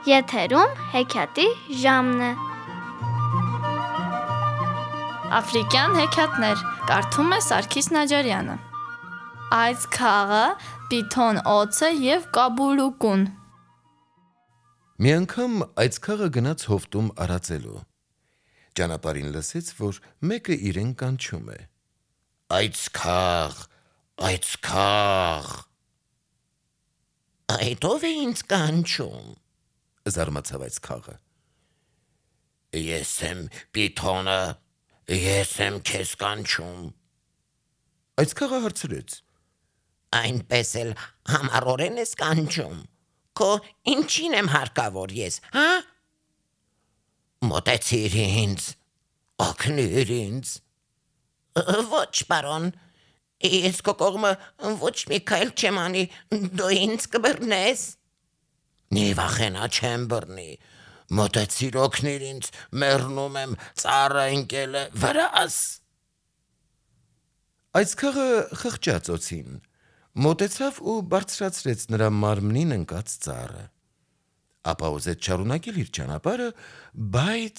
Եթերում հեքիաթի ժամն է։ Աֆրիկյան հեքիաթներ կարդում է Սարգիս Նաջարյանը։ Այս քաղը, պիթոն օձը և կաբուլուկուն։ Մի անգամ այս քաղը գնաց հովտում արածելու։ Ճանապարհին լսեց, որ մեկը իրեն կանչում է. «Այս քաղ, այս քաղ»։ «Այդ ով է ինձ կանչում», զարմացավ այս քաղը։ «Ես եմ պիթոնը, ես եմ քեզ կանչում»։ Այս քաղը հարցրեց. «Այնպես էլ համառորեն ես կանչում, քո ինչին եմ հարկավոր ես, հա»։ «Մոտեցիր ինձ, օգնիր ինձ»։ «Ոչ, պարոն, ես քո կողմը ոչ մի քայլ չեմ անի, դու ինձ կբռնես»։ «Մի վախենա, չեմ բռնի, մոտեցիր օգնիր ինձ, մեռնում եմ, ծառը ընկել է վրաս»։ Այս քաղը խղճաց օձին, մոտեցավ ու բարձրացրեց նրա մարմնին ընկած ծառը։ Ապա ուզեց շարունակել իր ճանապարհը, բայց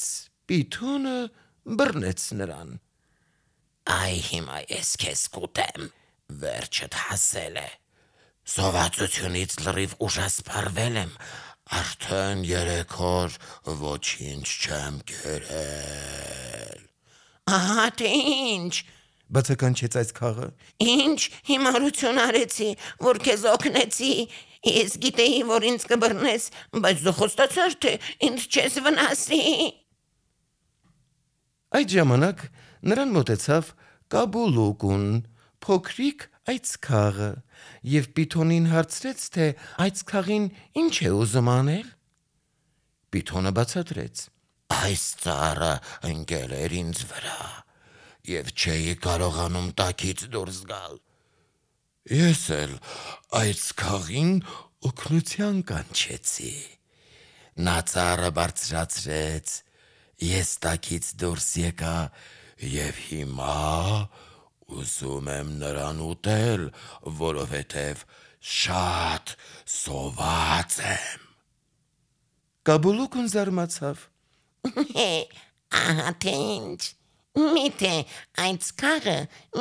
պիթոնը բռնեց նրան։ «Այ հիմա ես քեզ կուտեմ, վերջդ հասել է, սովածությունից լրիվ ուժասպառվել եմ, արդեն 3 օր ոչինչ չեմ կերել»։ «Ահա թե ինչ», բացականչեց այս քաղը։ «Ինչ հիմարություն արեցի, որ քեզ օգնեցի, ես գիտեի, որ ինձ կբռնես, բայց դու խոստացար, թե ինձ չես վնասի»։ Այդ ժամանակ նրան մոտեցավ կաբուլուկուն, փոքրիկ այծքաղը, և պիթոնին հարցրեց, թե այծքաղին ինչ է ուզում անել։ Պիթոնը բացատրեց. «Այս ծառը ընկել էր ինձ վրա, և չէի կարողանում տակից դուրս գալ։ Ես էլ այծքաղին օգնության կանչեցի։ Նա ծառը բարձրացրեց, ես տակից դուրս եկա և հիմա ուզում եմ նրան ուտել, որովհետև շատ սոված եմ»։ Կաբուլուկուն զարմացավ. «Ահա թե ինչ, միթե այծքաղը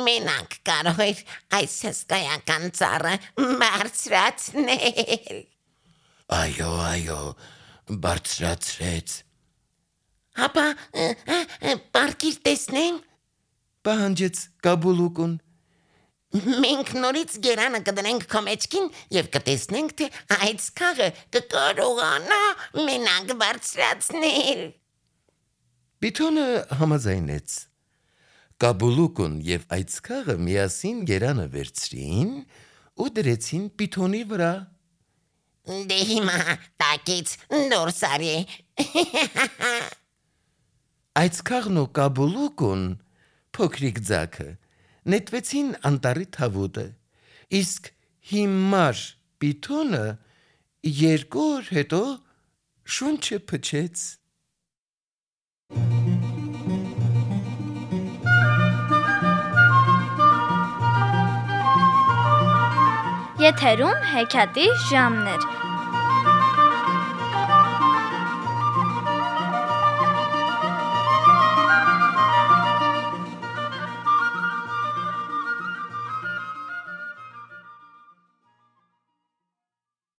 մենակ կարող էր այս հսկայական ծառը բարձրացնել»։ «Այո, բարձրացրեց»։ «Հապա պառկիր տեսնեմ», պահանջեց կաբուլուկուն։ «Մենք նորից գերանը կդնենք քո մեջքին և կտեսնենք, թե այծքաղը կկարողանա մենակ բարձրացնել»։ Պիթոնը համաձայնեց։ Կաբուլուկուն և այծքաղը միասին գերանը վերցրին ու դրեցին պիթոնի վրա։ «Դե հիմա տակից դուրս արի»։ Այծքաղն ու կաբուլուկուն, փոքրիկ ձագը, նետվեցին անտառի թավուտը, իսկ հիմար պիթոնը 2 օր հետո շունչը փչեց։ Եթերում հեքիաթի ժամն էր։